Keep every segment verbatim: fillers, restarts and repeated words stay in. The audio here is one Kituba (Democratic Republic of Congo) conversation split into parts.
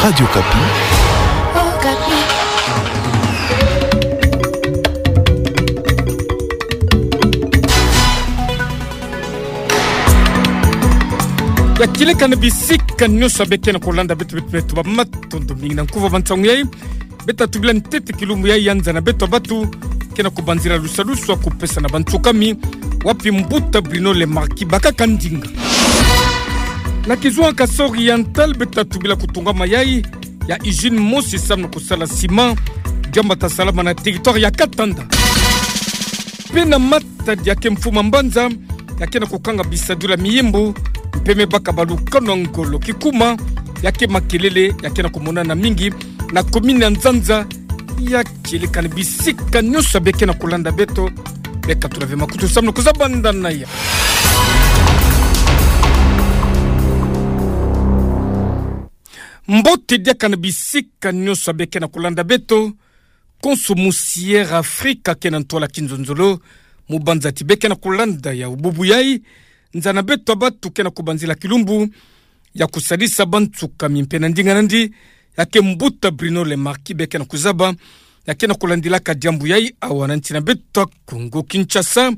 Radio Okapi. Ya kieleka na bisika nyonso ya beke na kolanda beto, beto, beto ba matondo mingi na nkuva ba nsangu yai. Beta tubila ntete kilumbu yai ya nza na beto bantu ke na kubanzila lusalusu ya kupesa na bantu kami, wapi mbuta Bruno Le Marquis bakaka ndinga. Na kizunga Kasaï Oriental beta tubila kutungama yai ya usine mosi samu na kusala ciment, diambu ta salama na territoire ya Katanda. Mpe na matadi ya ke mfuma mbanza, ya ke na kukanga bisadulu ya miyimbu, mpe me baka balukano ya ngolo kikuma, ya ke makelele, ya ke na kumonana mingi na commune ya Nzanza. Ya kieleka na bisika nyonso ya beke na kolanda beto, beka tula ve makutu samu na kuzabanda na ya. Mbote diaka na bisika nyonso ya beke na kolanda beto, konso musi Air Afrika ke na ntwala kinzonzolo, mu banza ti beke na kolanda ya bubu yai, nza na beto bantu ke na kubanzila kilumbu ya kusadisa bantu kami mpe na ndinga nandi, ya ke mbuta Bruno Le Marquis beke na kuzaba, ya ke na kulandilaka diambu yai awa na nsi na beto Kongo Kinshasa,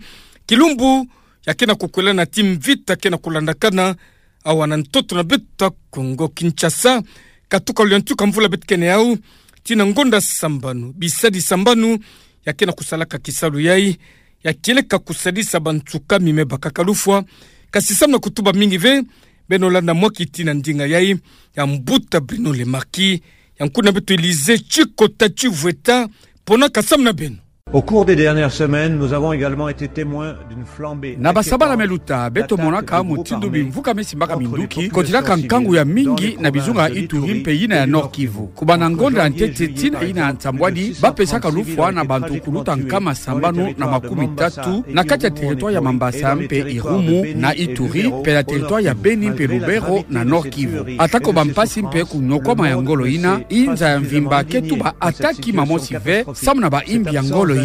kilumbu ya ke na kukwela na ti mvita ke na kulandakana awa na ntoto na beto Kongo Kinshasa, katuka luyantuka mvula beto kene yau, tii na ngonda sambanu, bisadi sambanu, ya ke na kusalaka kisalu yai, ya kieleka kusadisa bantu kami me bakaka lufwa. Kasi samu na kutuba mingi ve, beno landa mwa kiti na ndinga yai ya mbuta Bruno Le Marquis, ya nkuna beto Elysée Tchikota Tchivueta, ponaka samu na beno. Au cours des dernières semaines, nous avons également été témoins d'une flambée inquiétante d'attaques de groupes armés contre les populations civilises dans les provinces de l'Ituri et de Kongo. Au cours de ces dernières semaines, nous avons été témoins d'une flambée inquiétante d'attaques de groupes armés contre les populations civilises dans les provinces de l'Ituri et de Kongo. Na basabala me luta, beto monaka mutindo bimvuka me simbaka minduki, kotila ka nkangu ya mingi na bizunga Ituri mpe yina ya Nord-Kivu. Kubanda ngonda ya ntete tii na yina ya nsambwadi, bapesaka lufwa na bantu kuluta nkama sambanu na makumi tatu na kati ya territoire ya Mambasa mpe Irumu na Ituri, mpe na territoire ya Beni mpe Lubero na Nord-Kivu. Atako bampasi mpe kunyokwama ya ngolo yina, inza ya mvimba ke tuba attaque mamosi ve samu na bayimbi ya ngolo yina.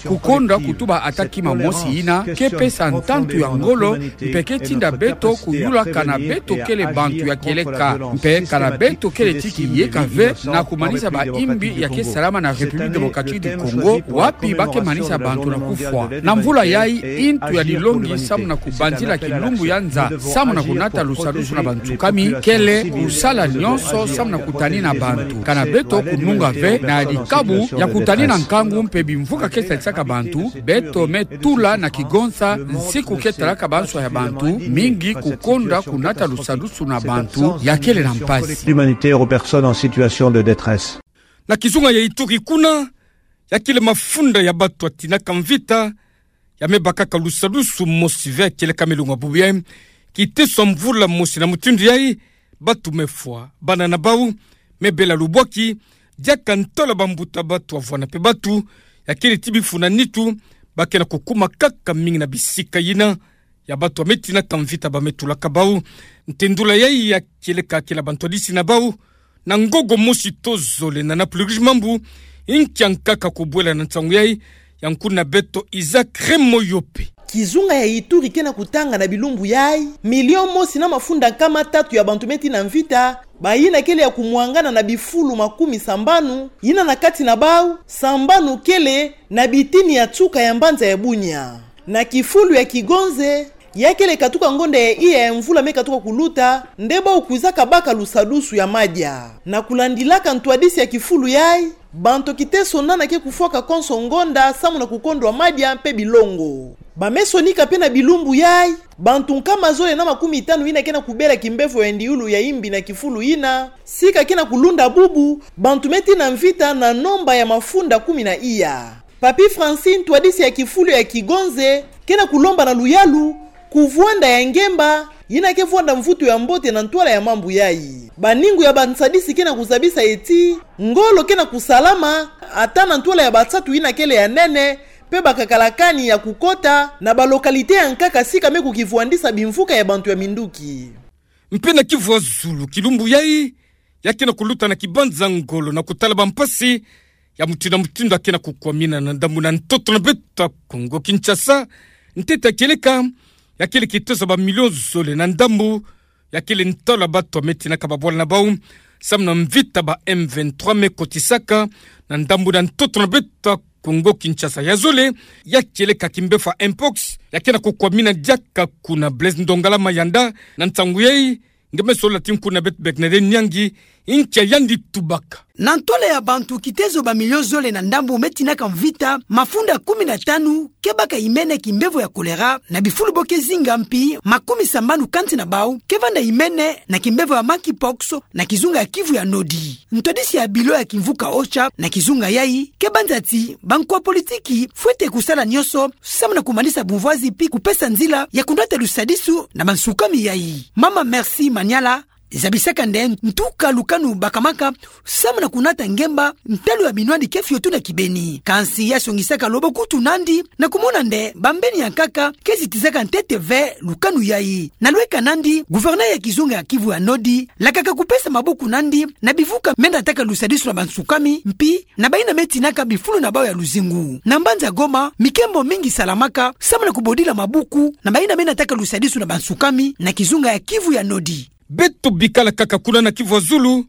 Kukonda kutuba attaque mamosi yina ke pesa ntantu ya ngolo, mpe ke tinda beto kuyula kana beto kele bantu ya kieleka, mpe kana beto kele ti kiyeka ve na kumanisa bayimbi ya ke salama na République Démocratique du Congo, wapi ba ke manisa bantu na kufwa. Na mvula yai, ntu ya dilongi samu na kubanzila kilumbu ya nza samu na kunata lusadusu na bantu kami kele kusala nyonso samu na kutanina bantu, kana beto kununga ve na dikabu ya kutanina nkangu mpe bimvuka ke sadisaka bantu. Beto me tula na kigonsa nsiku ke talaka banswa ya bantu, mingi kukonda kunata lusadusu na bantu ya kele na mpasi. Humanitaire aux personnes en situation de détresse. Na kizunga ya Ituri kuna, ya kele mafunda ya bantu ya tinaka mvita, ya me bakaka lusadusu mosi ve ya kieleka milongo ya bubu yai. Kiteso mvula mosi na mutindu yai, bantu me fwa, bana na bau me bela lubwaki, diaka ntola bambuta bantu ya vwanda mpe bantu, ya kele ti bifu na nitu, ba ke na kukuma kaka mingi na bisika yina, ya bantu ya me tinaka mvita ba me tulaka bau. Ntendula yai ya kieleka kele bantu ya disi na bau, na ngongo mosi to zole na napuliriji mambu, nkia nkaka kubwela na nsangu yai, ya nkuna beto Isaac Remoyope. Kizunga ya Ituri ke na kutanga na bilumbu yai, milion mosi na mafunda nkama tatu ya bantu me tina mvita, bayina kele ya kumwangana na bifulu makumi sambanu, yina na kati na bau, sambanu kele na bitini ya nsuka ya mbanza ya Bunia. Na kifulu ya Kigonze, ya kele katuka ngonda ya iya ya mvula me katuka kuluta, nde bau kwizaka baka lusadusu ya madia. Na kulandilaka ntwadisi ya kifulu yai, bantu kiteso nana ke kufwaka konso ngonda samu na kukondwa madia mpe bilongo. Ba me sonika mpe na bilumbu yai, bantu nkama zole na makumi tanu yina ke na kubela kimbevo ya ndiulu ya imbi na kifulu yina, sika ke na kulunda bubu, bantu me tina mvita na nomba ya mafunda kumi na iya. Papy Francis, ntwadisi ya kifulu ya Kigonze, ke na kulomba na luyalu, kuvwanda ya ngemba, yina ke vwanda mvutu ya mbote na ntwala ya mambu yai. Baningu ya bansadisi ke na kuzabisa ti, ngolo ke na kusalama, ata na ntwala ya bansatu yina kele ya nene, mpe bakakala kani ya kukota, na ba localité ya nkaka sika me kukivwandisa bimvuka ya bantu ya minduki. Mpe na Kivu ya zulu, kilumbu yai, ya ke na kuluta na kibanza ngolo na kutala bampasi ya mutindu na mutindu ya ke na kukwamina na ndambu na ntoto na beto Kongo Kinshasa, ntete ya kieleka, ya kele kiteso ba milion zole na ndambu, ya kele ntola bantu ya me tinaka babwala na bau, samu na mvita ba M vingt-trois me kotisaka na ndambu na ntoto na beto ya Congo Kinshasa. Ya zole, ya kieleka kimbefo ya mpox, ya ke na kukwamina diaka kuna. Blaise Ndongala Mayanda, na nsangu yai, nge me sola ti nkuna beto Bernadette Nyangi, nkia yandi tubaka. Na ntwala ya bantu kitezo ba million zole na ndambu me tinaka mvita, mafunda kumi na tanu ke baka imene kimbefo ya choléra, na bifulu bo ke zinga mpi makumi sambanu kansi na bau ke vanda imene na kimbefo ya monkeypox na kizunga ya Kivu ya Nodi. Ntwadisi ya bilo ya kimvuka OCHA na kizunga yai ke banza ti bankwa politiki fwete kusala nyonso samu na kumanisa bumvwazi mpi kupesa nzila ya kunata lusadisu na bansukami yai. Mama Merci Maniala zabisaka nde ntuka lukanu bakamaka samu na kunata ngemba ntalu ya binwani ke fioti na kibeni. Kansi ya songisaka lobo kutu nandi na kumona nde bambeni ya nkaka ke zitizaka ntete ve lukanu yai. Na lweka nandi, gouverneur ya kizunga ya Kivu ya Nodi lakaka kupesa maboko nandi na bivuka me nataka lusadisu na bansukami mpi na bayina me tinaka bifulu na bau ya luzingu. Na mbanza Goma, mikembo mingi salamaka samu na kubodila maboko na bayina me nataka lusadisu na bansukami na kizunga ya Kivu ya Nodi. Beto bikala kaka kuna na Kivu ya Zulu,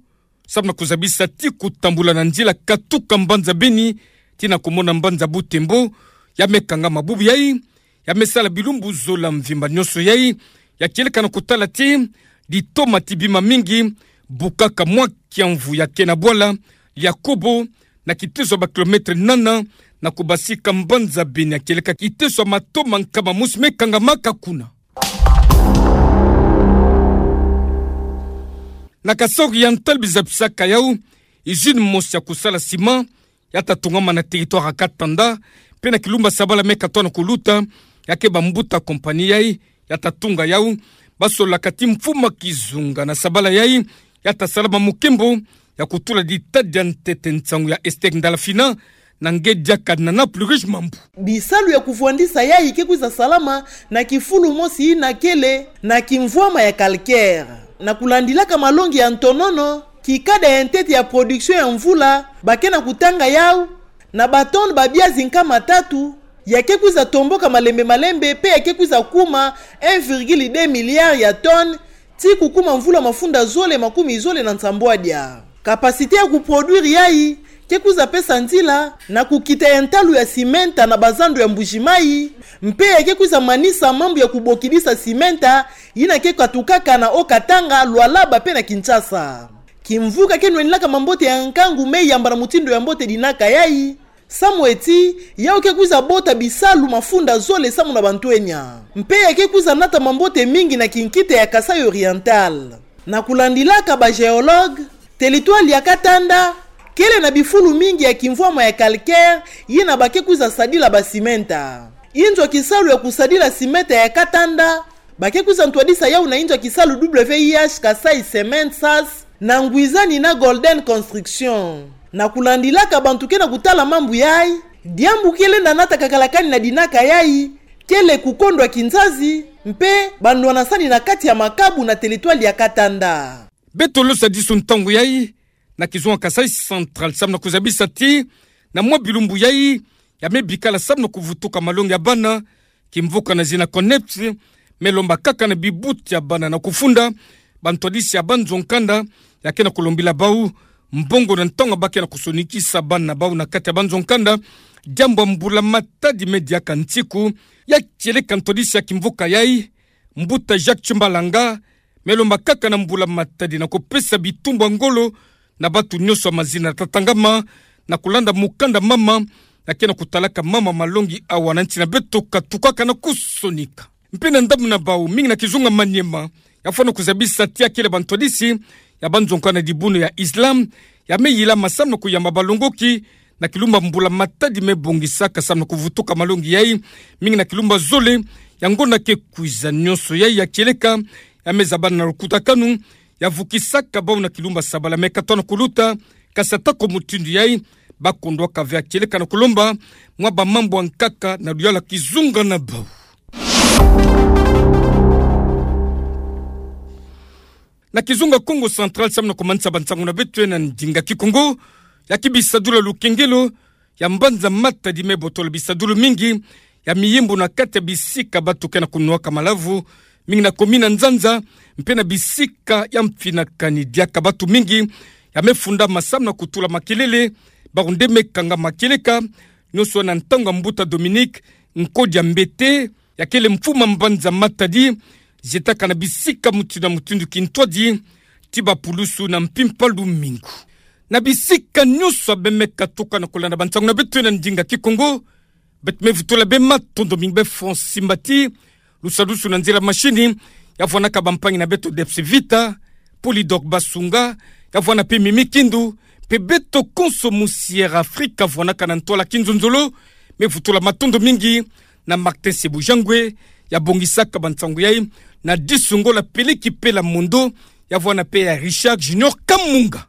samu na kuzabisa ti kutambula na nzila katuka mbanza Beni tii na kumona mbanza Butembo, ya me kangama bubu yai, ya me sala bilumbu zola mvimba nyonso yai, ya kieleka na kutala ti ditoma ti bima mingi, bukaka mwa kiamvu ya ke na bwala Liakobo, na kiteso ya ba kilomètre nana na kubasika mbanza Beni, ya kieleka kiteso ya matoma nkama mosi me kangamaka kuna. Na Kasaï Oriental, bizabisaka yau usine mosi ya kusala ciment ya ta tungama na territoire ya Katanda, mpe na kilumbu ya sabala me katoa na kuluta, ya ke bambuta compagnie yai ya ta tunga yau, basolaka ti mfumu ya kizunga na sabala yai ya ta salama mukembo, ya kutula ditadi ya ntete. Nsangu ya Esther Ndalafina, na nge diaka Nana Plurish Mambu. Bisalu ya kuvwandisa yai ke kwiza salama na kifulu mosi yina kele na kimvwama ya calcaire. Na kulandilaka malongi ya ntonono, kikada ya ntete ya production ya mvula ba ke na kutanga yau na ba tonnes ba biazi nkama tatu, ya ke kwiza tomboka malembe malembe, mpe ya ke kwiza kuma un virgule deux milliard ya tonnes, tii kukuma mvula mafunda zole makumi zole na nsambwadia. Capacité ya kuproduire yai ke kwiza pesa nzila na kukita ya ntalu ya cimenta na bazando ya Mbuji-Mayi, mpe ya ke kwiza manisa mambu ya kubokidisa cimenta yina ke katukaka na Haut-Katanga, Lualaba mpe na Kinshasa. Kimvuka ke nwenilaka mambote ya nkangu me yamba na mutindu ya mbote dinaka yai, samu eti yau ke kwiza bota bisalu mafunda zole samu na bantwenya. Mpe ya ke kwiza nata mambote mingi na kinkita ya Kasaï Oriental. Na kulandilaka ba géologues, territoire ya Katanda kele na bifulu mingi ya kimvwama ya calcaire yina ba ke kwiza sadila ba cimenta. Inzo ya kisalu ya kusadila cimenta ya Katanda ba ke kwiza ntwadisa yau na inzo ya kisalu W I H Kasaï Cement, SAS, na ngwizani na Golden Construction. Na kulandilaka bantu ke na kutala mambu yai, diambu ke lenda nata kakala kani na dinaka yai kele kukondwa kinzazi mpe banwanasani na kati ya makabu na territoire ya Katanda. Beto losadisu ntangu yai na kizunga Kasaï Central, samu na kuzabisa ti na mwa bilumbu yai ya me bikala samu na kuvutuka malongi ya bana, kimvuka na zina CONEPS me lomba kaka na bibuti ya bana na kufunda bantwadisi ya banzo-nkanda ya ke na kulombila bau mbongo na ntangu ba ke na kusonikisa bana na bau na kati ya banzo-nkanda. Diambu ya mbula matadi me diaka ntiku, ya kieleka ntwadisi ya kimvuka yai, mbuta Jacques Tshimbalanga, me lomba kaka na mbula matadi na kupesa bitumbu ya ngolo na bantu nyonso ya mazina tatangama na kulanda mukanda mama, ya ke na kutalaka mama malongi awa na nti na beto katukaka na kusonika. Mpe na ndambu na bau, mingi na kizunga Maniema ya fwana kuzabisa ti ya kele bantwadisi ya banzo-nkanda na dibundu ya Islam ya me yilama samu na kuyamba balongoki na kilumbu ya mbula matadi me bongisaka samu na kuvutuka malongi yai, mingi na kilumbu ya zole ya ngonda ke kwiza. Nyonso yai ya kieleka ya me zabana na lukutakanu ya vukisaka bau na kilumbu ya sabala me katoa na kuluta. Kasi atako mutindu yai, ba kondwaka ve ya kieleka na kulomba mwa bamambu ya nkaka na luyalu ya kizunga na bau. Na kizunga Kongo Central, samu na kumanisa bansangu na beto na ndinga Kikongo, ya ke bisadula lukengelo ya mbanza Matadi me botola bisadulu mingi ya miyimbu na kati ya bisika bantu ke na kunwaka malavu, mingi na commune na nzanza, mpe na bisika ya mfinakani diaka. Bantu mingi ya me funda masamu na kutula makelele, bawu nde me kanga makieleka, nionso na ntangu ya mbuta Dominique Nkodia Mbete, ya kele mfumu ya mbanza Matadi, zietaka na bisika mutindu na mutindu kintwadi, ti bapulusu na mpimpa lumingu. Na bisika nionso ya be me katuka na kolanda bansangu na beto na ndinga Kikongo, beto me vutula bê matondo mingi bê Francis Mbati, lusadusu na nzila mashini, ya vwanaka bampangi na beto Debs Vita, Polydor Basunga, ya vwana mpe Mimi Kindu, mpe beto konso mu Sierra Africa vwanaka na ntwala kinzonzolo, me vutula matondo mingi na Martin Sebujangwe, ya bongisaka bansangu yai, na Disungola Peleki Pela Mondo, ya vwana mpe ya Richard Junior Kamunga.